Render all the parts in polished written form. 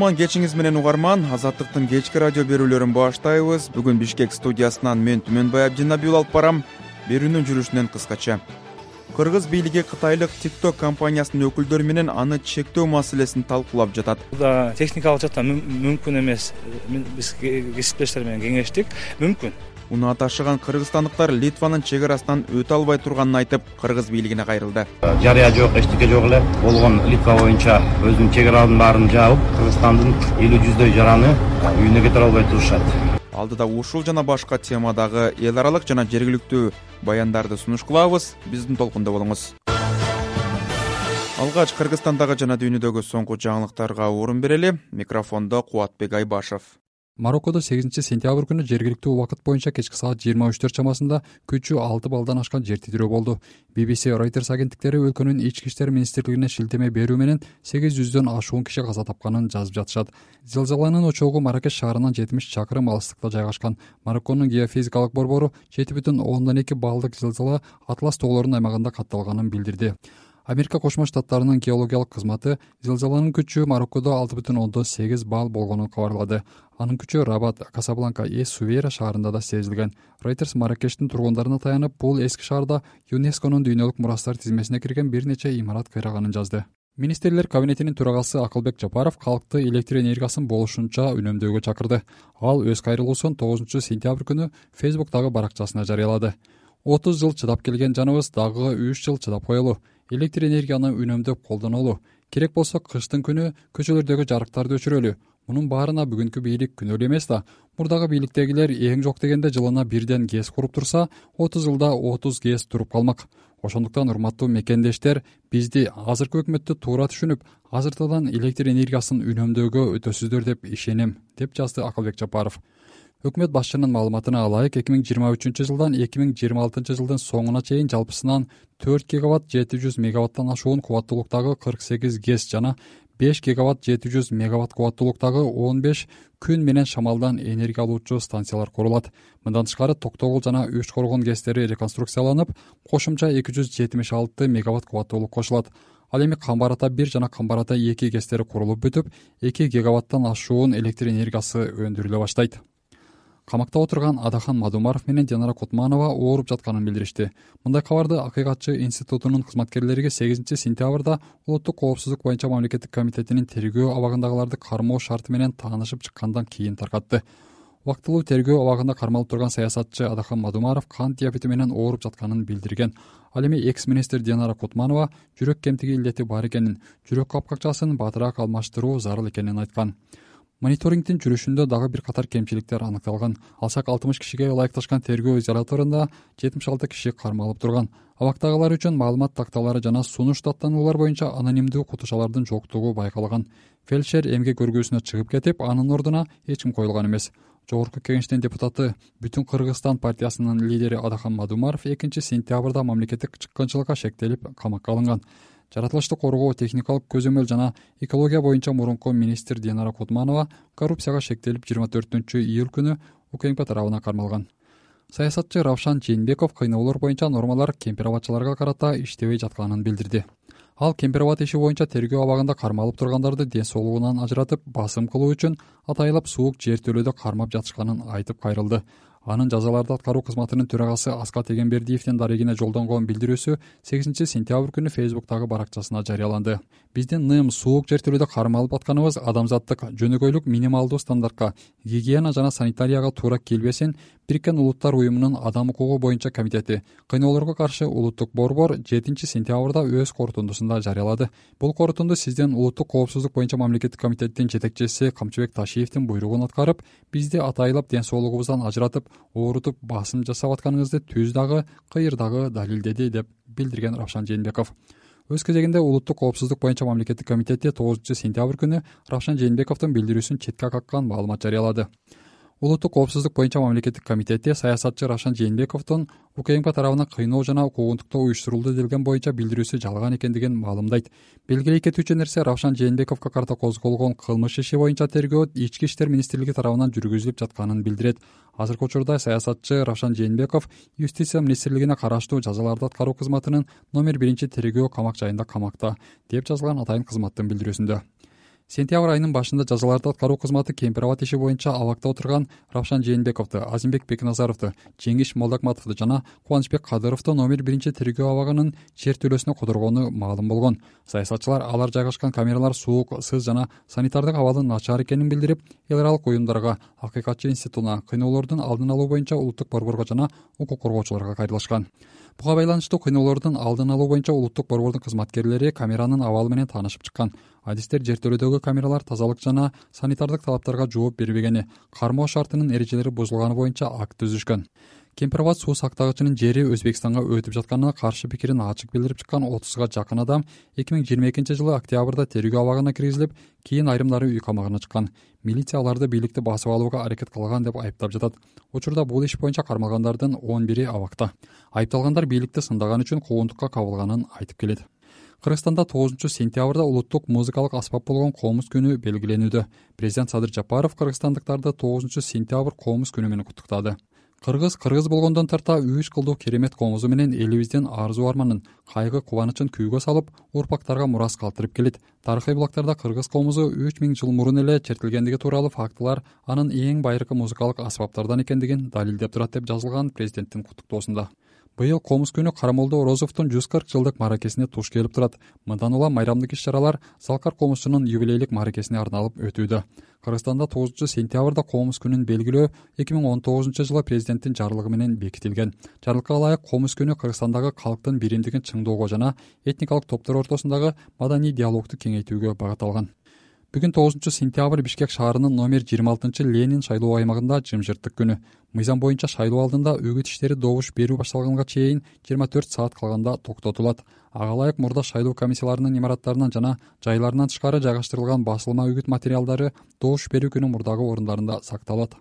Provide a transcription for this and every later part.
кутман кечиңиз менен угарман. Азаттыктын кечки радио берүүлөрүн баштайбыз. Бүгүн Бишкек студиясынан мен Түмөнбай Абдинабиул алып барам. Берүүнүн жүрүшүнөн кыскача. Кыргыз бийлиги кытайлык TikTok компаниясынын өкүлдөрү менен аны чектөө маселесин талкуулап жатат. Бул техникалык жактан мүмкүн эмес. Биз кесиптештер менен кеңештик. Мүмкүн. Унаа ташыган кыргызстандыктар Литванын чек арасынан өтө албай турганын айтып, кыргыз бийлигине кайрылды. Жарыя жок, эчтеке жок эле. Болгон Литва боюнча өзүнүн чек араларын баарын жаап, Кыргызстандын 50-100 жараны үйүнө кетире албай турушат. Алдыда ушул жана башка темадагы эл аралык жана жергиликтүү баяндарды сунуш кылабыз. Биздин толкунда болуңуз. Алгач Кыргызстандагы жана дүйнөдөгү соңку жаңылыктарга орун берели. Микрофондо Кубатбек Айбашев. Мароккодо 8-сентябрь күнү жергиликтүү убакыт боюнча кечки саат 23 чамасында күчү 6 баллдан ашкан жер титирөө болду. BBC, Reuters агенттиктери өлкөнүн ички иштер министрлигине шилтеме берүү менен 800дөн ашуун киши каза тапканын жазып жатышат. Зилзаланын очогу Маракеш шаарынан 70 чакырым алыстыкта жайгашкан. Марокконун геофизикалык борбору 7,2 баллдык зилзала Атлас тоолорунун аймагында катталганын билдирди. Америка Кошмо Штаттарынын геологиялык кызматы зилзаланын күчү Мароккодо 6,8 балл болгонун кабарлады. Анын күчү Рабат, Касабланка, Сувейра шаарында да сезилген. Reuters Маракештин тургундарына таянып, бул эски шаарда ЮНЕСКОнун дүйнөлүк мурастар тизмесине кирген бир нече имарат кыйраганын жазды. Министрлер кабинетинин төрагасы Акылбек Жапаров калкты электр энергиясын болушунча үнөмдөөгө чакырды. Ал өз кайрылуусун 9-сентябрь күнү Facebook'тагы баракчасына жарыялады. 30 жыл чыдап келген жаныбыз дагы 3 жыл чыдап коелу. Электр энергияны үнөмдөп колдонолу. Керек болсо кыштын күнү көчөлөрдөгү жарыктарды өчүрөлү. Мунун баарына бүгүнкү бийлик күнөөлүү эмес да. Мурдагы бийликтегилер эң жок дегенде жылына бирден ГЭС куруп турса, 30 жылда 30 ГЭС туруп калмак. Ошондуктан урматтуу мекендештер, бизди азыркы өкмөттү туура түшүнүп, азыртадан электр энергиясын үнөмдөөгө өтөсүздөр деп ишенем, деп жазды Акылбек Жапаров. Өкмөт башчынын маалыматына алайык, 2023 жылдан 2026 жылдын соңуна чейин жалпысынан 4 гигаватт 700 мегаваттан ашуун кубаттуулуктагы 48 ГЭС жана 5 гигаватт 700 мегаватт кубаттуулуктагы 15 күн менен шамалдан энергия алуучу станциялар курулат. Мындан тышкары Токтогул жана Үч Коргон ГЭСтери реконструкцияланып, кошумча 276 мегаватт кубаттуулук кошулат. Ал эми Камбар Ата 1 жана Камбар Ата 2 ГЭСтери курулуп бүтүп, 2 гигаваттан ашуун электр энергиясы өндүрүлө баштайт. Камакта отурган Адахан Мадумаров менен Динара Кутманова ооруп жатканын билдиришти. Мындай кабарды Акыйкатчы институтунун кызматкерлерге 8-сентябрда Улуттук коопсуздук боюнча мамлекеттик комитетинин тергөө абагындагыларды кармоо шарты менен таанышып чыккандан кийин таркатты. Убактылуу тергөө абагында кармалып турган саясатчы Адахан Мадумаров кант диабети менен ооруп жатканын билдирген. Ал эми экс-министр Динара Кутманова жүрөк кемтиги илдети бар экенин, жүрөк капкачасын батыраак алмаштыруу зарыл экенин айткан. Мониторингдин жүрүшүндө дагы бир катар кемчиликтер аныкталган. Алсак 60 кишиге ылайыкташкан тергөө изоляторунда 76 киши кармалып турган. Абактагылар үчүн маалымат такталары жана сунуш даттануулар боюнча анонимдүү кутушалардын жоктугу байкалган. Фельдшер эмгек өргүүсүнө чыгып кетип, анын ордуна эч ким коюлган эмес. Жогорку кеңештин депутаты, Бүтүн Кыргызстан партиясынын лидери Адахан Мадумаров 2-сентябрда мамлекеттик чыккынчылыкка шектелип камакка алынган. Жаратылышты коргоо, техникалык көзөмөл жана экология боюнча мурунку министр Динара Кутманова коррупцияга шектелип 24-июль күнү УКМК тарабынан кармалган. Саясатчы Равшан Жээнбеков кыйноолор боюнча нормалар кемпир абадчыларга карата иштебей жатканын билдирди. Ал кемпир абад иши боюнча тергөө абагында кармалып тургандарды ден соолугунан ажыратып, басым кылуу үчүн атайылап суук жер төлөөдө кармап жатышканын айтып кайрылды. Анын жазаларды аткаруу кызматынын төрагасы Аскат Эгембердиевдин дарегине жолдонгон билдирүүсү 8-сентябрь күнү Facebook'тагы баракчасына жарыяланды. Биздин НЫМ суук жер төлөөдө кармалып атканыбыз адамзаттык, жөнөкөйлүк минималдуу стандартка, гигиена жана санитарияга туура келбесин Бириккен Улуттар уюмунун адам укугу боюнча комитети кыйноолорго каршы улуттук борбор 7-сентябрда өз корутундусунда жарыялады. Бул корутунду сиздин Улуттук коопсуздук боюнча мамлекеттик комитеттин жетекчиси Камчыбек Ташиевдин буйругун аткарып, бизди атайылап ден соолугубуздан ажыратып, оорутуп, басым жасап атканыңызды түз дагы, кыйыр дагы далилдеди, деп билдирген Равшан Жээнбеков. Өз кезегинде Улуттук коопсуздук боюнча мамлекеттик комитети 9-сентябрь күнү Равшан Жээнбековдун билдирүүсүн четке каккан маалымат жарыялады. Улуттук коопсуздук боюнча мамлекеттик комитети саясатчы Равшан Жээнбековдун УКМК тарабынан кыйноо жана куугунтуктоо уюштурулду делген боюнча билдирүүсү жалган экендигин маалымдайт. Белгилей кетүүчү нерсе, Равшан Жээнбековго карата козголгон кылмыш иши боюнча тергөө Ички иштер министрлиги тарабынан жүргүзүлүп жатканын билдирет. Азыркы учурда саясатчы Равшан Жээнбеков Юстиция министрлигине караштуу жазаларды аткаруу кызматынын номер 1 тергөө камак жайында камакта, деп жазылган атайын кызматтын билдирүүсүндө. Сентябрь айынын башында жазаларды аткаруу кызматы Кемпир аба иши боюнча абакта отурган Равшан Жээнбековду, Азимбек Бекназаровду, Жеңиш Молдокматовду жана Кубанычбек Кадыровду номер 1 тергөө абагынын жертөлөсүнө кодургону маалым болгон. Саясатчылар алар жайгашкан камералар суук, сыз жана санитардык абалдын начар экенин билдирип, эл аралык уюмдарга, Акыйкатчы институтуна, кыйноолордун алдын алуу боюнча улуттук борборго жана укук коргоочуларга кайрылышкан. Буга байланыштуу кыйноолордун алдын алуу боюнча улуттук борбордун кызматкерлери камеранын абалы менен таанышып чыккан. Адистер жертөлөдөгү камералар тазалык жана санитардык талаптарга жооп бербегени, кармоо шартынын эрежелери бузулганы боюнча акт түзүшкөн. Кемпирабад суу сактагычынын жери Өзбекстанга өтүп жатканына каршы пикирин ачык билдирип чыккан 30га жакын адам 2022 жылы октябрда тергөө абагына киргизилип, кийин айрымдары үй камагына чыккан. Милиция аларды бийликти басып алууга аракет кылган деп айыптап жатат. Учурда бул иш боюнча кармалгандардын 11 абакта. Айыпталгандар бийликти сындаган үчүн куугунтукка кабылганын айтып келет. Кыргызстанда 9-сентябрда улуттук музыкалык аспап болгон комуз күнү белгиленүүдө. Президент Садыр Жапаров кыргызстандыктарды 9-сентябрь комуз күнү менен куттуктады. Кыргыз болгондон тарта 3 кылдуу керемет комузу менен элибиздин арзу арманын, кайгы кубанычын күүгө салып, урпактарга мурас калтырып келет. Тарыхый булактарда кыргыз комузу 3000 жыл мурун эле чертилгендиги тууралуу фактылар анын эң байыркы музыкалык аспаптардан экендигин далилдеп турат деп жазылган президенттин куттуктоосунда. Быйыл комуз күнү Карамолдо Орозовдун 140 жылдык мааракесине туш келип турат. Мындан улам майрамдык иш-чаралар Залкар комузчунун юбилейлик мааракесине арналып өтүүдө. Кыргызстанда 9-сентябрда комуз күнүн белгилөө 2019 жылы президенттин жарлыгы менен бекитилген. Жарлыкка ылайык комуз күнү Кыргызстандагы калктын биримдигин чыңдоого жана этникалык топтор ортосундагы маданий диалогду кеңейтүүгө багытталган. Бүгүн 9-сентябрь Бишкек шаарынын номер 26 Ленин шайлоо аймагында жымжырттык күнү. Мыйзам боюнча шайлоо алдында үгүт иштери добуш берүү башталганга чейин 24 саат калганда токтотулат. Ага ылайык мурда шайлоо комиссияларынын имараттарынан жана жайларынан тышкары жайгаштырылган басылма үгүт материалдары добуш берүү күнү мурдагы орундарында сакталат.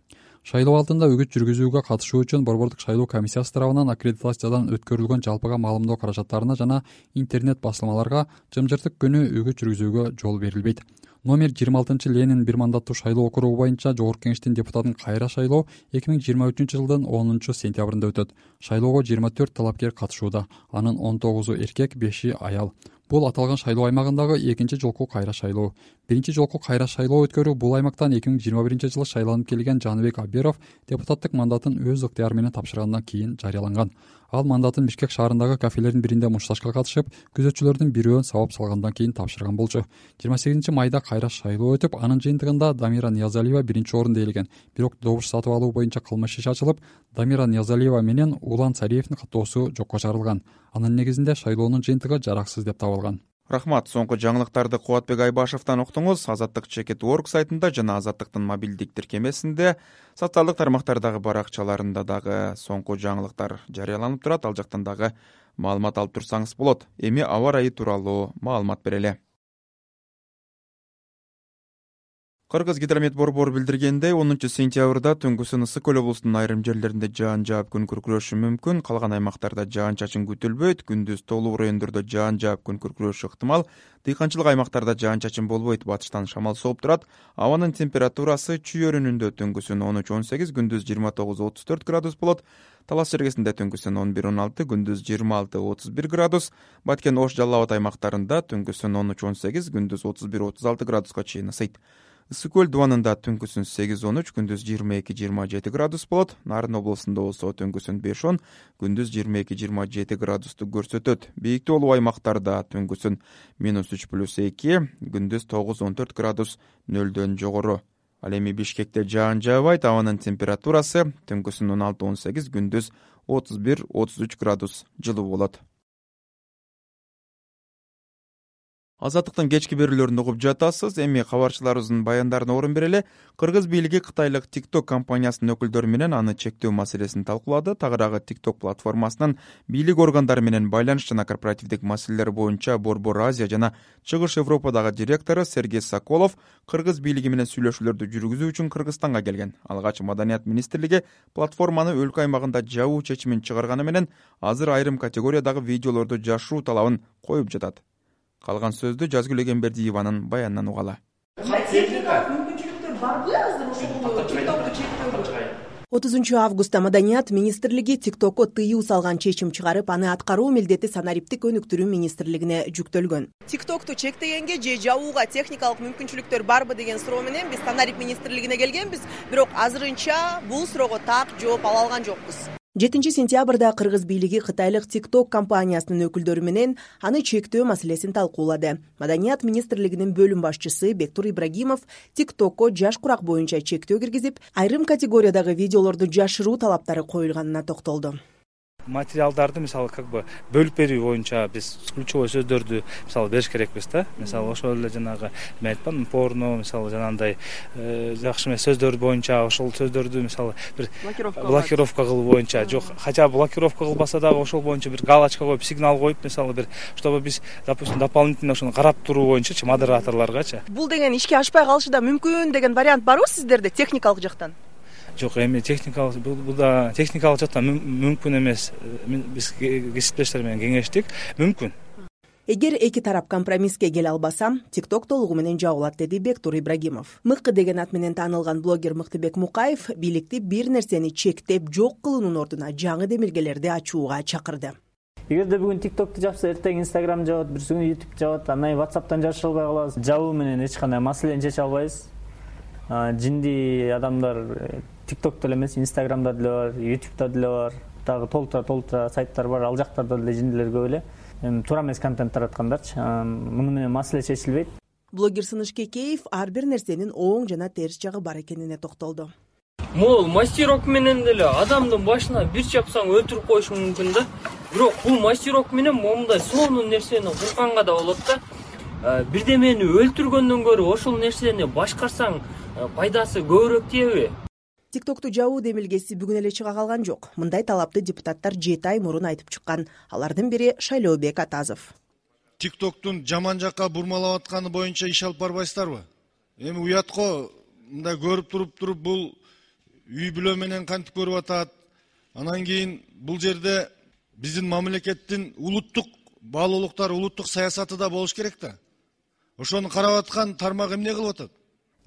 Шайлоо алдында үгүт жүргүзүүгө катышуу үчүн борбордук шайлоо комиссиясы тарабынан аккредитациядан өткөрүлгөн жалпыга маалымдоо каражаттарына жана интернет басылмаларга жымжырттык күнү үгүт жүргүзүүгө жол берилбейт. Номер 26 Ленин бир мандаттуу шайлоо округу боюнча Жогорку Кеңештин депутатын кайра шайлоо 2023 жылдын 10 сентябрында өтөт. Шайлоого 24 талапкер катышууда. Анын 19-у эркек, 5-и аял. Бул аталган шайлоо аймагындагы экинчи жолку кайра шайлоо. Биринчи жолку кайра шайлоо өткөрүү бул аймактан 2021 жылы шайланып келген Жаныбек Аберов депутаттык мандатын өз ыктыяры менен тапшыргандан кийин жарыяланган. Ал мандатын Бишкек шаарындагы кафелердин биринде мушташка катышып, күзөтчүлөрдүн бирөөн сабап салгандан кийин тапшырган болчу. 28 майда кайра шайлоо өтүп, анын жыйынтыгында Дамира Ниязалиева биринчи орунду ээлеген. Бирок добуш сатып алуу боюнча кылмыш иши ачылып, Дамира Ниязалиева менен Улан Сариевдин каттоосу жокко чыгарылган. Анын негизинде шайлоонун жыйынтыгы жараксыз деп табылган. Рахмат. Соңку жаңылыктарды Кубатбек Айбашевден уктуңуз. Азаттык Чекит.org сайтында жана Азаттыктын мобилдик тиркемесинде, социалдык тармактардагы баракчаларында дагы соңку жаңылыктар жарыяланып турат. Ал жактан дагы маалымат алып турсаңыз болот. Эми аба ырайы тууралуу маалымат берели. Кыргыз гидромет борбору билдиргендей, 10 сентябрда түнгүсүн Ысык көл облусунун айрым жерлеринде жаан жаап күн күркүрөшү мүмкүн. Калган аймактарда жаан-чачын күтүлбөйт. Күндүз тоолуу райондордо жаан жаап күн күркүрөшү ыктымал. Дыйканчылык аймактарда жаан-чачын болбойт. Батыштан шамал сооп турат. Абанын температурасы чүй өрүнүндө түнгүсүн 13-18, күндүз 29-34 градус болот. Талас жергесинде түнгүсүн 11-16, күндүз 26-31 градус. Баткен Ош Жалал Абад аймактарында түнгүсүн 13-18, күндүз 31-36 градуска чейин ысыйт. Ысык көл дубанында түнгүсүн 8-13, күндүз 22-27 градус болот. Нарын облусунда болсо түнгүсүн 5-10, күндүз 22-27 градусту көрсөтөт. Бийиктүү олуу аймактарда түнгүсүн -3+2, күндүз 9-14 градус нөлдөн жогору. Ал эми Бишкекте жаан жаабайт. Абанын температурасы түнгүсүн 16-18, күндүз 31-33 градус жылуу болот. Азаттыктын кечки берүүлөрүн угуп жатасыз. Эми кабарчыларыбыздын баяндарына орун берели. Кыргыз бийлиги Кытайлык TikTok компаниясынын өкүлдөрү менен аны чектөө маселесин талкуулады. Тагыраагы TikTok платформасынын бийлик органдары менен байланыш жана корпоративдик маселелер боюнча Борбор Азия жана Чыгыш Европадагы директору Сергей Соколов кыргыз бийлиги менен сүйлөшүүлөрдү жүргүзүү үчүн Кыргызстанга келген. Алгач Маданият министрлиги платформаны өлкө аймагында жабуу чечимин чыгарганы менен азыр айрым категориядагы видеолорду жашыруу талабын коюп жатат. Калган сөздү Жазгүл Эгембердиеванын баянынан угалы. Техникалык мүмкүнчүлүктөр барбы азыр ушул TikTok'ду чектөөгө? 30 августта Маданият министрлиги TikTok'ко тыюу салган чечим чыгарып, аны аткаруу милдети санариптик өнүктүрүү министрлигине жүктөлгөн. TikTok'ту чектегенге же жабууга техникалык мүмкүнчүлүктөр барбы деген суроо менен биз санарип министрлигине келгенбиз, бирок азырынча бул суроого так жооп ала алган жокпуз. 7 сентябрда кыргыз бийлиги кытайлык TikTok компаниясынын өкүлдөрү менен аны чектөө маселесин талкуулады. Маданият министрлигинин бөлүм башчысы Бектур Ибрагимов TikTok'ко жаш курак боюнча чектөө киргизип, айрым категориядагы видеолорду жашыруу талаптары коюлганына токтолду. Материалдарды мисалы бөлүп берүү боюнча биз ключевой сөздөрдү мисалы бериш керекпиз да. Мисалы ошол эле жанагы мен айткам порно, мисалы жанагындай жакшы эмес сөздөр боюнча ошол сөздөрдү мисалы бир блокировка кылуу боюнча, жок, хотя блокировка кылбаса дагы ошол боюнча бир галочка коюп, сигнал коюп, мисалы бир чтобы биз, допустим, дополнительно ошону карап туруу боюнчачы модераторлоргачы. Бул деген ишке ашпай калышы да мүмкүн деген вариант барбы сиздерде техникалык жактан? Жок, эми техникалык бул да техникалык жактан мүмкүн эмес. Биз кесиптештер менен кеңештик, мүмкүн. Эгер эки тарап компромисске келе албаса, TikTok толугу менен жабылат, деди Бектур Ибрагимов. Мыкы деген ат менен таанылган блогер Мыктыбек Мукаев бийликти бир нерсени чектеп жок кылуунун ордуна жаңы демилгелерди ачууга чакырды. Эгерде бүгүн TikTok'ту жапса, эртең Instagram жабат, бүрсү күнү YouTube жабат, андан WhatsApp'тан жашыра албай калабыз. Жабуу менен эч кандай маселени чече албайбыз. Жинди адамдар TikTok'то эле эмес, Instagram'да деле бар, YouTube'да деле бар, дагы толтура сайттар бар, ал жактарда деле жиндилер көп эле. Туура эмес контент тараткандарчы. Муну менен маселе чечилбейт. Блогер Сыныш Кекеев ар бир нерсенин оң жана терс жагы бар экенине токтолду. Могул мастерок менен деле адамдын башына бир чапсаң өлтүрүп коюшу мүмкүн да. Бирок бул мастерок менен момундай сонун нерсени курганга да болот да. Бирдемени өлтүргөндөн көрө ошол нерсени башкарсаң пайдасы көбүрөөк тиеби? TikTok'ту жабуу демилгеси бүгүн эле чыга калган жок. Мындай талапты депутаттар 7 ай мурун айтып чыккан. Алардын бири Шайлообек Атазов. TikTok'тун жаман жакка бурмалап атканы боюнча иш алып барбайсыздарбы? Эми уятко мындай көрүп туруп бул үй бүлө менен кантип көрүп атат. Анан кийин бул жерде биздин мамлекеттин улуттук баалуулуктар, улуттук саясаты да болуш керек да. Ошону карап аткан тармак эмне кылып атат?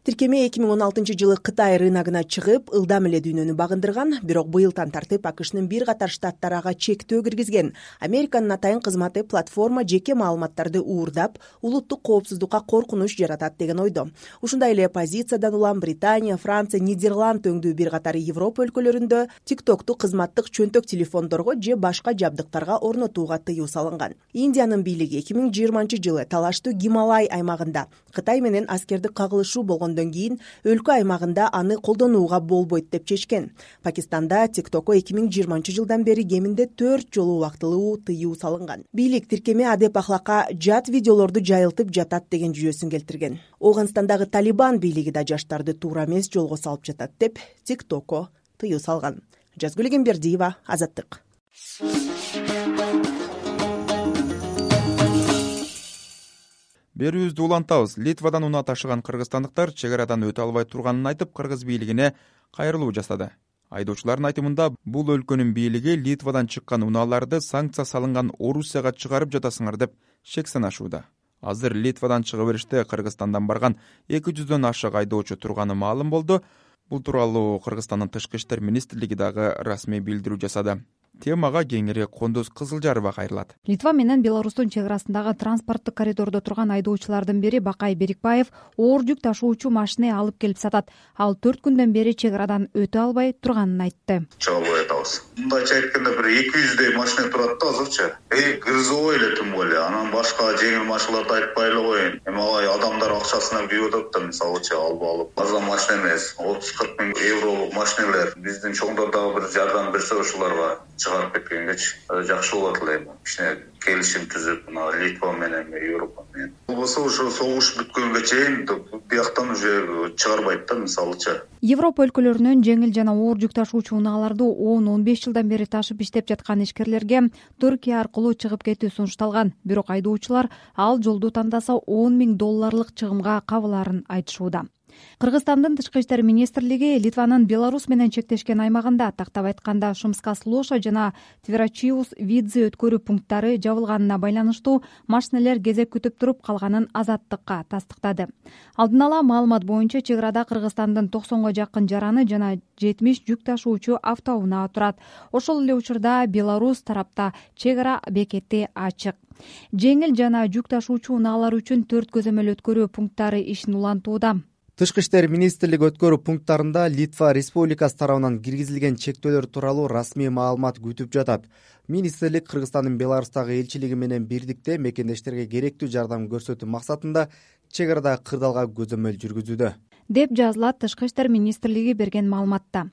Тиркеме 2016 жылы Кытай рыногуна чыгып, ылдам эле дүйнөнү багындырган, бирок быйылдан тартып АКШнын бир катар штаттары ага чектөө киргизген. Американын атайын кызматы платформа жеке маалыматтарды уурдап, улуттук коопсуздукка коркунуч жаратат деген ойдо. Ушундай эле позициядан улам Британия, Франция, Нидерланд өңдүү бир катар Европа өлкөлөрүндө TikTok'ту кызматтык чөнтөк телефондорго же башка жабдыктарга орнотууга тыюу салынган. Индиянын бийлиги 2020 жылы талаштуу Гималай аймагында Кытай менен аскердик кагылышуу болгондон кийин өлкө аймагында аны колдонууга болбойт деп чечкен. Пакистанда TikTok'ко 2020 жылдан бери кеминде 4 жолу убактылуу тыюу салынган. Бийлик тиркеме адеп ахлакка жат видеолорду жайылтып жатат деген жүйөсүн келтирген. Ооганстандагы Талибан бийлиги да жаштарды туура эмес жолго салып жатат деп TikTok'ко тыюу салган. Жазгүл Эмгембердиева, Азаттык. Берүүбүздү улантабыз. Литвадан унаа ташыган кыргызстандыктар чек арадан өтө албай турганын айтып, кыргыз бийлигине кайрылуу жасады. Айдоочулардын айтымында, бул өлкөнүн бийлиги Литвадан чыккан унааларды санкция салынган Орусияга чыгарып жатасыңар деп шек санашууда. Азыр Литвадан чыга бериште Кыргызстандан барган 200дөн ашык айдоочу турганы маалым болду. Бул тууралуу Кыргызстандын тышкы иштер министрлиги дагы расмий билдирүү жасады. Темага кеңири Кондуз Кызылжарова кайрылат. Литва менен Беларустун чек арасындагы транспорттук коридордо турган айдоочулардын бири Бакай Берикбаев оор жүк ташуучу машина алып келип сатат. Ал 4 күндөн бери чек арадан өтө албай турганын айтты. Чыга албай атабыз. Мындайча айтканда бир 200дөй машина турат да азырчы. Грузовой эле тым эле. Анан башка жеңил машиналарды айтпай эле коеюн. Эми алай адамдар акчасына күйүп атат да, мисалычы алып. База машина эмес, 30-40 миң евролук машиналар. Биздин чоңдор дагы бир жардам берсе ошолорго чыгарып кеткенгечи жакшы болот эле. Кичине келишим түзүп, Литва менен, Европа менен. Болбосо ошо согуш бүткөнгө чейин бияктан уже чыгарбайт да, мисалычы. Европа өлкөлөрүнөн жеңил жана оор жүк ташуучу унааларды 10-15 жылдан бери ташып иштеп жаткан ишкерлерге Түркия аркылуу чыгып кетүү сунушталган. Бирок айдоочулар ал жолду тандаса $10 000 чыгымга кабылаарын айтышууда. Кыргызстандын тышкы иштер министрлиги Литванын Беларусь менен чектешкен аймагында, тактап айтканда Шумскас-Лоша жана Тверачиус-Видзе өткөрүү пункттары жабылганына байланыштуу машинелер кезек күтүп туруп калганын Азаттыкка тастыктады. Алдын ала маалымат боюнча чек арада Кыргызстандын 90 жакын жараны жана 70 жүк ташуучу автоунаа турат. Ошол эле учурда Беларусь тарапта чек ара бекети ачык. Жеңил жана жүк ташуучу унаалар үчүн 4 көзөмөл өткөрүү пункттары ишин улантууда. Тышкы иштер министрлиги өткөрүү пункттарында Литва Республикасы тарабынан киргизилген чектөөлөр тууралуу расмий маалымат күтүп жатат. Министрлик Кыргызстандын Беларустагы элчилиги менен бирдикте мекендештерге керектүү жардам көрсөтүү максатында чек арада кырдаалга көзөмөл жүргүзүүдө, деп жазылат Тышкы иштер министрлиги берген маалыматта.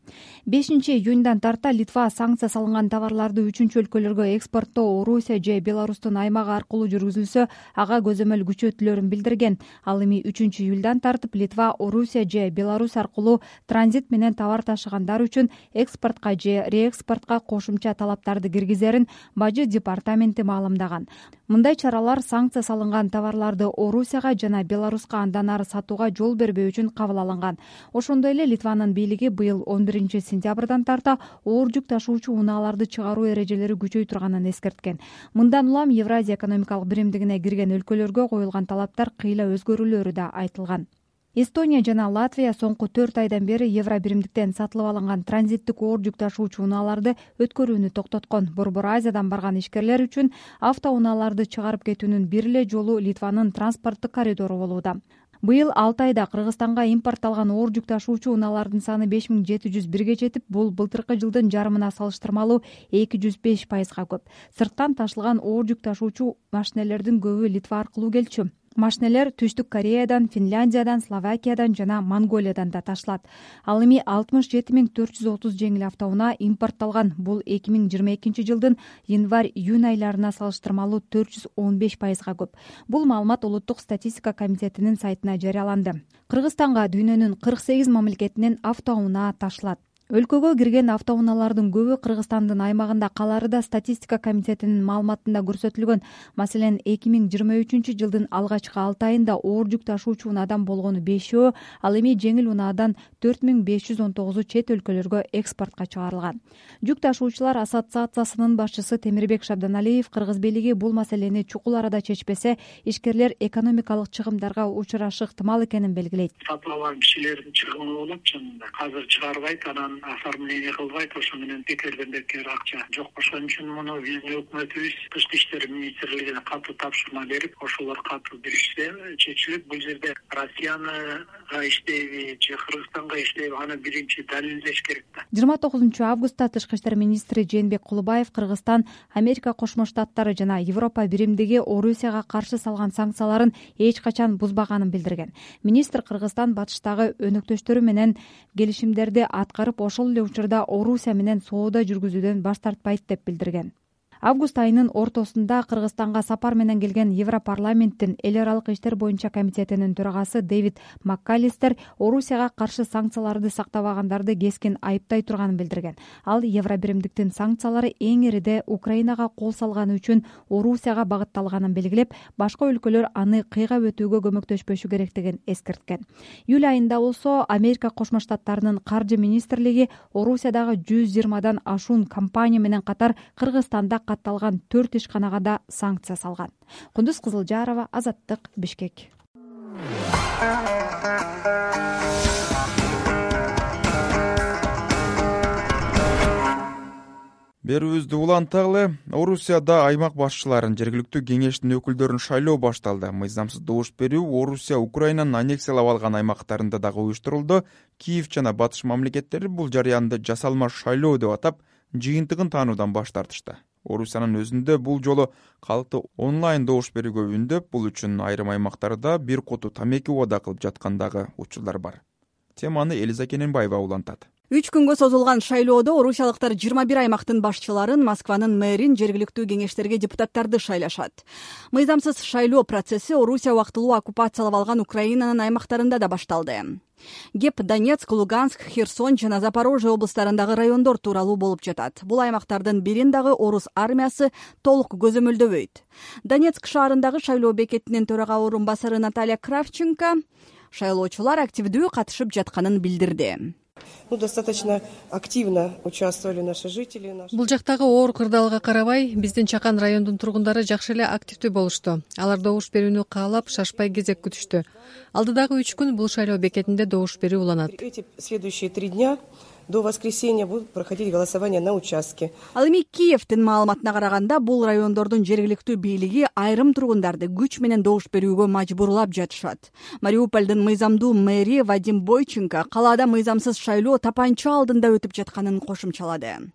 5-июндан тарта Литва санкция салынган товарларды 3-өлкөлөргө экспорттоо Орусия же Беларустун аймагы аркылуу жүргүзүлсө, ага көзөмөл күчөтүлөрүн билдирген. Ал эми 3-июлдан тартып Литва Орусия же Беларусь аркылуу транзит менен товар ташыгандар үчүн экспортко же реэкспортко кошумча талаптарды киргизерин Бажы департаменти маалымдаган. Мындай чаралар санкция салынган товарларды Орусияга жана Беларуска андан ары сатууга жол бербөө үчүн кабыл алынган. Ошондой эле Литванын бийлиги быйыл 11-сентябрдан тарта оор жүк ташуучу унааларды чыгаруу эрежелери күчөй турганын эскерткен. Мындан улам Евразия экономикалык биримдигине кирген өлкөлөргө коюлган талаптар кыйла өзгөрүүлөрү да айтылган. Эстония жана Латвия соңку 4 айдан бери Евро биримдиктен сатылып алынган транзиттик оор жүк ташуучу унааларды өткөрүүнү токтоткон. Борбор Азиядан барган ишкерлер үчүн автоунааларды чыгарып кетүүнүн бир эле жолу Литванын транспорттук коридору болууда. Быйыл 6 айда Кыргызстанга импортталган оор жүк ташуучу унаалардын саны 5701 жетип, бул былтыркы жылдын жарымына салыштырмалуу 205%га көп. Сырттан ташылган оор жүк ташуучу машинелердин көбү Литва аркылуу келчү. Машинелер Түштүк Кореядан, Финляндиядан, Словакиядан жана Монголиядан да ташылат. Ал эми 67430 жеңил автоунаа импортталган. Бул 2022 жылдын январь-июнь айларына салыштырмалуу 415%га көп. Бул маалымат Улуттук статистика комитетинин сайтына жарыяланды. Кыргызстанга дүйнөнүн 48 мамлекетинен автоунаа ташылат. Өлкөгө кирген автоунаалардын көбү Кыргызстандын аймагында калары да статистика комитетинин маалыматында көрсөтүлгөн. Маселен, 2023 жылдын алгачкы 6 айында оор жүк ташуучу унаадан болгону 5, ал эми жеңил унаадан 4519 чет өлкөлөргө экспортко чыгарылган. Жүк ташуучулар ассоциациясынын башчысы Темирбек Шабданалиев кыргыз бийлиги бул маселени чукул арада чечпесе, ишкерлер экономикалык чыгымдарга учурашы ыктымал экенин белгилейт. Сатып алган кишилердин чыгымы болот чынында. Азыр чыгарбайт, анан оформление кылбайт, ошо менен бекерден бекер акча жок. Ошон үчүн муну биздин өкмөтүбүз Тышкы иштер министрлигине катуу тапшырма берип, ошолор катуу беришсе чечилип, бул жерде Россияга иштейби же Кыргызстанга иштейби, аны биринчи далилдеш керек да. 29 августта Тышкы иштер министри Жээнбек Кулубаев Кыргызстан, Америка Кошмо Штаттары жана Европа биримдиги Орусияга каршы салган санкцияларын эч качан бузбаганын билдирген. Министр Кыргызстан батыштагы өнөктөштөрү менен келишимдерди аткарып, ошол эле учурда Орусия менен соода жүргүзүүдөн баш тартпайт деп билдирген. Август айынын ортосунда Кыргызстанга сапар менен келген Европарламенттин эл аралык иштер боюнча комитетинин төрагасы Дэвид МакКаллистер Орусияга каршы санкцияларды сактабагандарды кескин айыптай турганын билдирген. Ал Евро биримдиктин санкциялары эң ириде Украинага кол салганы үчүн Орусияга багытталганын белгилеп, башка өлкөлөр аны кыйгап өтүүгө көмөктөшпөшү керектигин эскерткен. Июль айында болсо Америка Кошмо Штаттарынын каржы министрлиги Орусиядагы 120дан ашуун компания менен катар Кыргызстанда катталган 4 ишканага да санкция салган. Кундуз Кызылжарова, Азаттык, Бишкек. Берүүбүздү уланталы. Орусияда аймак башчыларын, жергиликтүү кеңештин өкүлдөрүн шайлоо башталды. Мыйзамсыз добуш берүү Орусия Украинанын аннексиялап алган аймактарында дагы уюштурулду. Киев жана Батыш мамлекеттери бул жарыянды жасалма шайлоо деп атап, жыйынтыгын таануудан баш тартышты. Орусиянын өзүндө бул жолу калкты онлайн добуш берүүгө үндөп, бул үчүн айрым аймактарда бир коту тамеки убада кылып жаткандагы учурлар бар. Теманы Элиза Кененбаева улантат. 3 күнгө созулган шайлоодо орусиялыктар 21 аймактын башчыларын, Москванын мэрин, жергиликтүү кеңештерге депутаттарды шайлашат. Мыйзамсыз шайлоо процесси Орусия убактылуу оккупациялап алган Украинанын аймактарында да башталды. Кеп Донецк, Луганск, Херсон жана Запорожье облустарындагы райондор тууралуу болуп жатат. Бул аймактардын бирин дагы орус армиясы толук көзөмөлдөбөйт. Донецк шаарындагы шайлоо бекетинин төрага орун басары Наталья Кравченко шайлоочулар активдүү катышып жатканын билдирди. Достаточно активно участвовали наши жители. Бул жактагы оор кырдаалга карабай, биздин Чакан районунун тургундары жакшы эле активдүү болушту. Алар добуш берүүнү каалап, шашпай кезек күтүштү. Алдыдагы 3 күн бул шайлоо бекетинде добуш берүү уланат. Эти следующие 3 дня до воскресенья будут проходить голосование на участке. Ал эми Киевдин маалыматына караганда, бул райондордун жергиликтүү бийлиги айрым тургундарды күч менен добуш берүүгө мажбурлап жатышат. Мариупольдун мыйзамдуу мэри Вадим Бойченко калаада мыйзамсыз шайлоо тапанча алдында өтүп жатканын кошумчалады.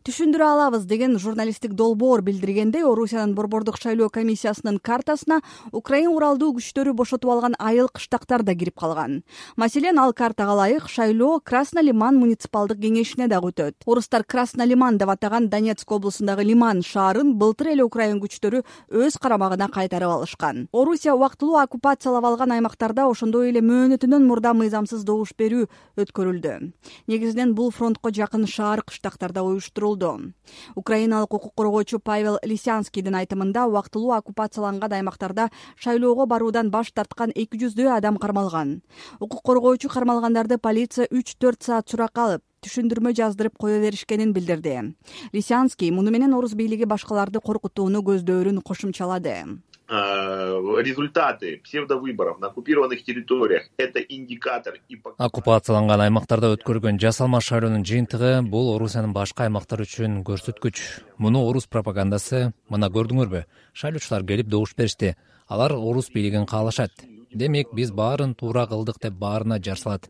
Түшүндүрө алабыз деген журналисттик долбоор билдиргендей, Орусиянын борбордук шайлоо комиссиясынын картасына Украин уралдуу күчтөрү бошотуп алган айыл кыштактар да кирип калган. Маселен, ал картага ылайык шайлоо Краснолиман муниципалдык кеңешине дагы өтөт. Орустар Краснолиман деп атаган Донецк облусундагы Лиман шаарын былтыр эле Украин күчтөрү өз карамагына кайтарып алышкан. Орусия убактылуу оккупациялап алган аймактарда ошондой эле мөөнөтүнөн мурда мыйзамсыз добуш берүү өткөрүлдү. Негизинен бул фронтко жакын шаар кыштактарда уюштурулду. Украиналык укук коргоочу Павел Лисянскийдин айтымында, убактылуу оккупацияланган аймактарда шайлоого баруудан баш тарткан 200дөй адам кармалган. Укук коргоочу кармалгандарды полиция 3-4 саат суракка алып, түшүндүрмө жаздырып кое беришкенин билдирди. Лисянский муну менен орус бийлиги башкаларды коркутууну көздөөрүн кошумчалады. Результаты псевдовыборов на оккупированных территориях – это индикатор. Оккупацияланган аймактарда өткөрүлгөн жасалма шайлоонун жыйынтыгы бул Орусиянын башка аймактары үчүн көрсөткүч. Муну орус пропагандасы, мына көрдүңөрбү, шайлоочулар келип добуш беришти. Алар орус бийлигин каалашат. Демек, биз баарын туура кылдык деп баарына жар салат.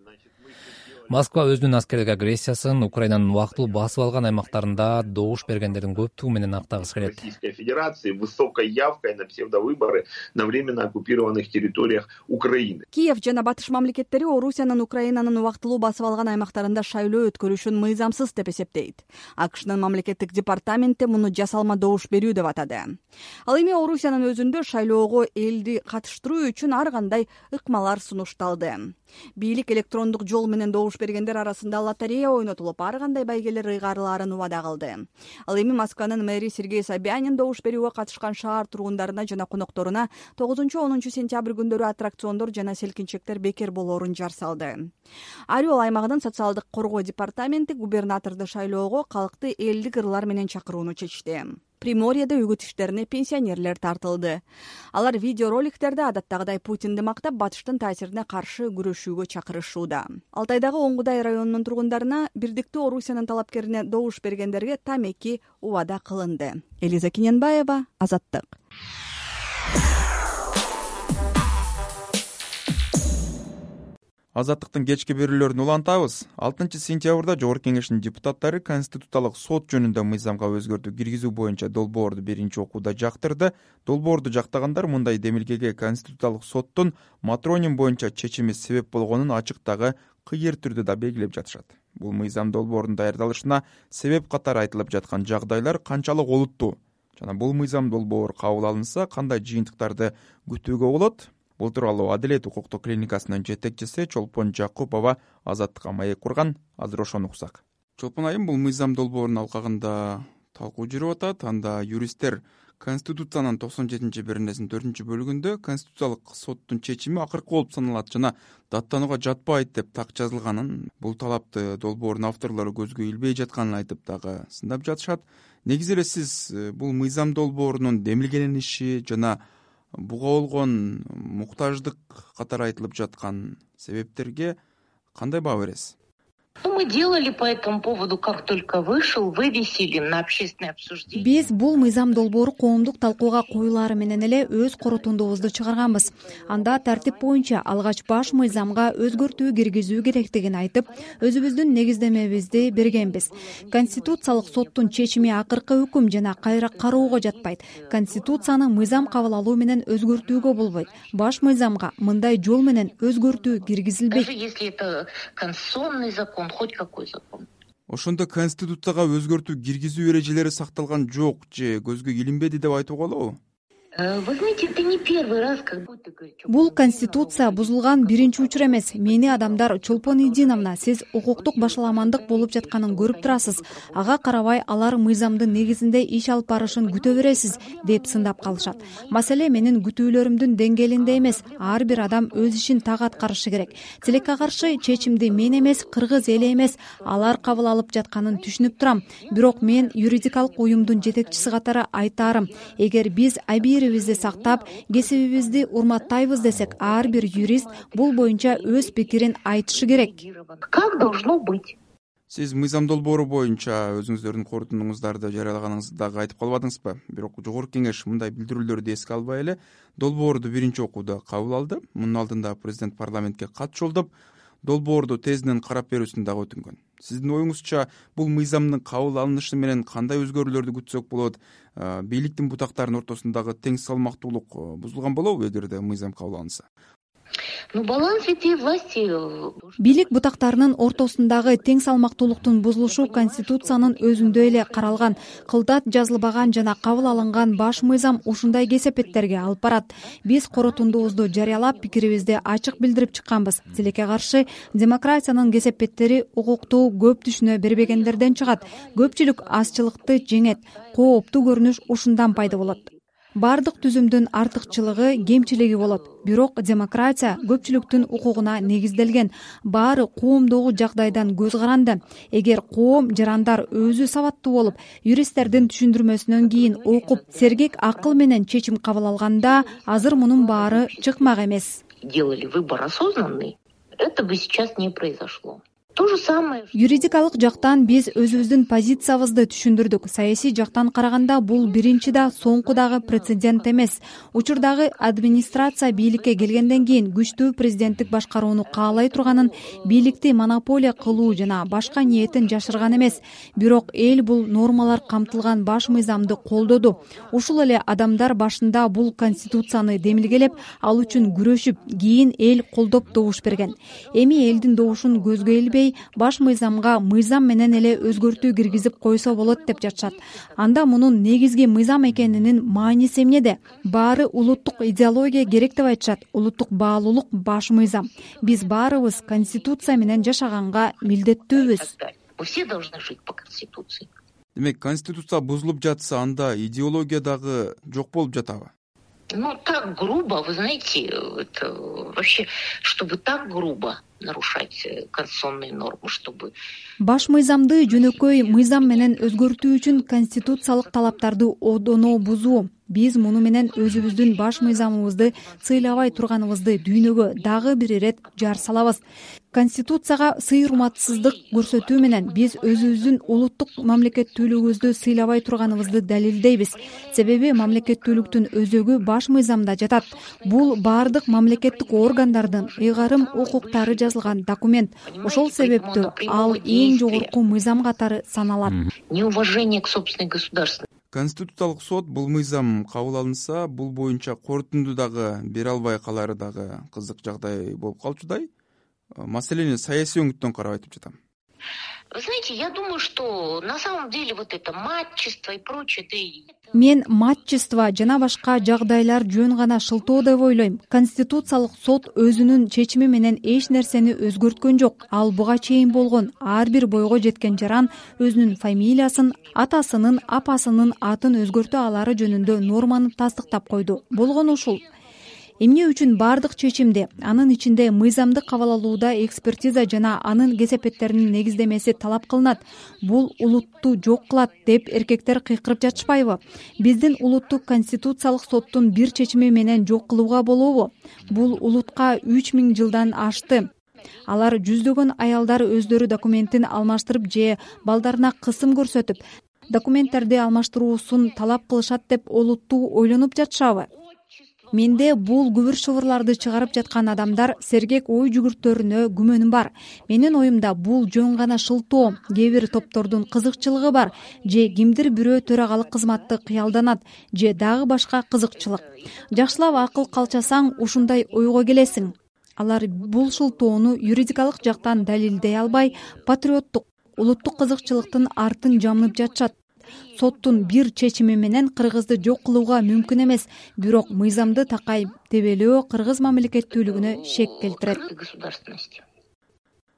Москва өзүнүн аскердик агрессиясын Украинанын убактылуу басып алган аймактарында добуш бергендердин көптүгү менен актагысы келет. Российской Федерации высокой явкой на псевдовыборы на временно оккупированных территориях Украины. Киев жана батыш мамлекеттери Орусиянын Украинанын убактылуу басып алган аймактарында шайлоо өткөрүшүн мыйзамсыз деп эсептейт. АКШнын мамлекеттик департаменти муну жасалма добуш берүү деп атады. Ал эми Орусиянын өзүндө шайлоого элди катыштыруу үчүн ар кандай ыкмалар сунушталды. Бийлик электрондук жол менен добуш бергендер арасында лотерея ойнотулуп, ар кандай байгелер ыйгарылаарын убада кылды. Ал эми Москванын мэри Сергей Собянин добуш берүүгө катышкан шаар тургундарына жана конокторуна 9-10 сентябрь күндөрү аттракциондор жана селкинчектер бекер болоорун жар салды. Орел аймагынын социалдык коргоо департаменти губернаторду шайлоого калкты элдик ырлар менен чакырууну чечти. Приморьеде үгүт иштерине пенсионерлер тартылды. Алар видеороликтерде адаттагыдай Путинди мактап, батыштын таасирине каршы күрөшүүгө чакырышууда. Алтайдагы Оңгудай районунун тургундарына бирдиктүү Орусиянын талапкерине добуш бергендерге тамеки убада кылынды. Элиза Киненбаева, Азаттык. Азаттыктын кечки берүүлөрүн улантабыз. 6 сентябрда Жогорку Кеңештин депутаттары Конституциялык сот жөнүндө мыйзамга өзгөртүү киргизүү боюнча долбоорду биринчи окууда жактырды. Долбоорду жактагандар мындай демилгеге Конституциялык соттун матроним боюнча чечими себеп болгонун ачыктагы кыйыр түрдө да белгилеп жатышат. Бул мыйзам долбоорунун даярдалышына себеп катары айтылып жаткан жагдайлар канчалык олуттуу жана бул мыйзам долбоор кабыл алынса кандай жыйынтыктарды күтүүгө болот? Бул тууралуу Адилет укуктук клиникасынын жетекчиси Чолпон Жакупова Азаттыкка маек курган. Азыр ошону уксак. Чолпон айым, бул мыйзам долбоорунун алкагында талкуу жүрүп атат. Анда юристтер Конституциянын 97-беренесинин 4-бөлүгүндө Конституциялык соттун чечими акыркы болуп саналат жана даттанууга жатпайт деп так жазылганын, бул талапты долбоордун авторлору көзгө илбей жатканын айтып дагы сындап жатышат. Негизи эле сиз бул мыйзам долбоорунун демилгелениши жана буга болгон муктаждык катары айтылып жаткан себептерге кандай баа бересиз? Мы делали по этому поводу, как только вышел, вывесили на общественное обсуждение. Биз бул мыйзам долбоору коомдук талкууга коюлаары менен эле өз корутундубузду чыгарганбыз. Анда тартип боюнча алгач баш мыйзамга өзгөртүү киргизүү керектигин айтып, өзүбүздүн негиздемебизди бергенбиз. Конституциялык соттун чечими акыркы өкүм жана кайра кароого жатпайт. Конституцияны мыйзам кабыл алуу менен өзгөртүүгө болбойт. Баш мыйзамга мындай жол менен өзгөртүү киргизилбейт. Даже если это конституционный закон, хоть какой закон. Ошондо Конституцияга өзгөртүү киргизүү эрежелери сакталган жок же көзгө илинбеди деп айтууга болобу? Вы знаете, это не первый раз, когда... Бул конституция бузулган биринчи учур эмес. Мени адамдар Чолпон Идиновна, сиз укуктук башаламандык болуп жатканын көрүп турасыз. Ага карабай алар мыйзамдын негизинде иш алып барышын күтө бересиз, деп сындап калышат. Маселе менин күтүүлөрүмдүн деңгээлинде эмес. Ар бир адам өз ишин так аткарышы керек. Тилекке каршы чечимди мен эмес, кыргыз эли эмес, алар кабыл алып жатканын түшүнүп турам. Бирок мен юридикалык уюмдун жетекчиси катары айтаарым, эгер биз абийирибизди сактап, кесибибизди урматтайбыз десек, ар бир юрист бул боюнча өз пикирин айтышы керек. Как должно быть? Сиз мыйзам долбоору боюнча өзүңүздөрдүн корутундуңуздарды жарыялаганыңызды дагы айтып калбадыңызбы? Бирок Жогорку Кеңеш мындай билдирүүлөрдү эске албай эле долбоорду биринчи окууда кабыл алды. Мунун алдында президент парламентке кат жолдоп, долбоорду тезинен карап берүүсүн дагы өтүнгөн. Сиздин оюңузча бул мыйзамдын кабыл алынышы менен кандай өзгөрүүлөрдү күтсөк болот? Бийликтин бутактарынын ортосундагы тең салмактуулук бузулган болобу эгерде мыйзам кабыл алынса? Баланс ветви власти... Бийлик бутактарынын ортосундагы тең салмактуулуктун бузулушу Конституциянын өзүндө эле каралган, кылдат жазылбаган жана кабыл алынган баш мыйзам ушундай кесепеттерге алып барат. Биз корутундубузду жарыялап, пикирибизди ачык билдирип чыкканбыз. Тилекке каршы демократиянын кесепеттери укукту көп түшүнө бербегендерден чыгат. Көпчүлүк азчылыкты жеңет. Кооптуу көрүнүш ушундан пайда болот. Бардык түзүмдүн артыкчылыгы, кемчилиги болот. Бирок демократия көпчүлүктүн укугуна негизделген. Баары коомдогу жагдайдан көз каранды. Эгер коом жарандар өзү сабаттуу болуп, юристтердин түшүндүрмөсүнөн кийин окуп, сергек акыл менен чечим кабыл алганда, азыр мунун баары чыкмак эмес. Делали выбор осознанный, это бы сейчас не произошло. То же самое. Юридикалык жактан биз өзүбүздүн позициябызды түшүндүрдүк. Саясий жактан караганда бул биринчи да соңку дагы прецедент эмес. Учурдагы администрация бийликке келгенден кийин күчтүү президенттик башкарууну каалай турганын, бийликти монополия кылуу жана башка ниетин жашырган эмес. Бирок эл бул нормалар камтылган баш мыйзамды колдоду. Ушул эле адамдар башында бул конституцияны демилгелеп, ал үчүн күрөшүп, кийин эл колдоп добуш берген. Эми элдин добушун көзгө илбей, баш мыйзамга мыйзам менен эле өзгөртүү киргизип койсо болот деп жатышат. Анда мунун негизги мыйзам экенинин мааниси эмнеде? Баары улуттук идеология керек деп айтышат. Улуттук баалуулук баш мыйзам. Биз баарыбыз конституция менен жашаганга милдеттүүбүз. Все должны жить по конституции. Демек, конституция бузулуп жатса, анда идеология дагы жок болуп жатабы? Так грубо, вы знаете, это вообще, чтобы так грубо нарушать конституционные нормы, чтобы... Баш мыйзамды жөнөкөй мыйзам менен өзгөртүү үчүн конституциялык талаптарды одоно бузуу. Биз муну менен өзүбүздүн баш мыйзамыбызды сыйлабай турганыбызды дүйнөгө дагы бир ирет жар салабыз. Конституцияга сый-урматсыздык көрсөтүү менен биз өзүбүздүн улуттук мамлекеттүүлүгүбүздү сыйлабай турганыбызды далилдейбиз. Себеби мамлекеттүүлүктүн өзөгү баш мыйзамда жатат. Бул бардык мамлекеттик органдардын ыйгарым укуктары жазылган документ. Ошол себептүү ал эң жогорку мыйзам катары саналат. Неуважение к собственной государственности. Конституциялык сот бул мыйзам кабыл алынса, бул боюнча корутунду дагы бере албай калары дагы кызык жагдай болуп калчудай. Маселени саясий өңүттөн карап айтып жатам. Вы знаете, я думаю, что на самом деле вот это матчество и прочее, Мен матчество жана башка жагдайлар жөн гана шылтоо деп ойлойм. Конституциялык сот өзүнүн чечими менен эч нерсени өзгөрткөн жок. Ал буга чейин болгон ар бир бойго жеткен жаран өзүнүн фамилиясын, атасынын, апасынын атын өзгөртө алары жөнүндө норманы тастыктап койду. Болгон ушул. Эмне үчүн бардык чечимде, анын ичинде мыйзамды кабыл алууда экспертиза жана анын кесепеттеринин негиздемеси талап кылынат. Бул улутту жок кылат деп эркектер кыйкырып жатышпайбы? Биздин улуттук конституциялык соттун бир чечими менен жок кылууга болобу? Бул улутка 3000 жылдан ашты. Алар жүздөгөн аялдар өздөрү документин алмаштырып же балдарына кысым көрсөтүп, документтерди алмаштыруусун талап кылышат деп олуттуу ойлонуп жатышабы? Менде бул күбүр шыбырларды чыгарып жаткан адамдар сергек ой жүгүртөрүнө күмөнүм бар. Менин оюмда бул жөн гана шылтоо, кээ бир топтордун кызыкчылыгы бар, же кимдир бирөө төрагалык кызматты кыялданат, же дагы башка кызыкчылык. Жакшылап акыл калчасаң ушундай ойго келесиң. Алар бул шылтоону юридикалык жактан далилдей албай, патриоттук, улуттук кызыкчылыктын артын жамнып жатышат. соттун бир чечими менен кыргызды жок кылууга мүмкүн эмес, бирок мыйзамды такай тебелөө кыргыз мамлекеттүүлүгүнө шек келтирет.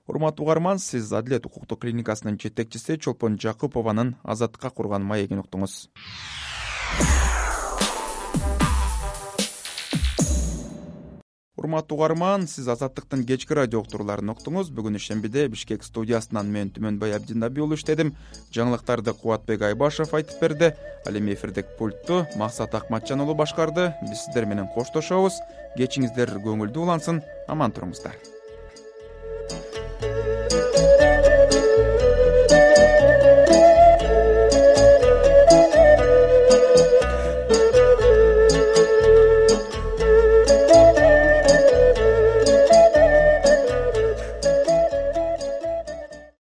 Урматтуу угарман, сиз Адилет укуктук клиникасынын жетекчиси Чолпон Жакупованын Азаттыкка курган маегин уктуңуз. Урматтуу угарман, сиз Азаттыктын кечки радио уктурууларын уктуңуз. Бүгүн ишембиде Бишкек студиясынан мен Түмөнбай Абдинабий уулу иштедим. Жаңылыктарды Кубатбек Айбашев айтып берди. Ал эми эфирдеги пультту Максат Акматжан уулу башкарды. Биз сиздер менен коштошобуз. Кечиңиздер көңүлдүү улансын. Аман туруңуздар.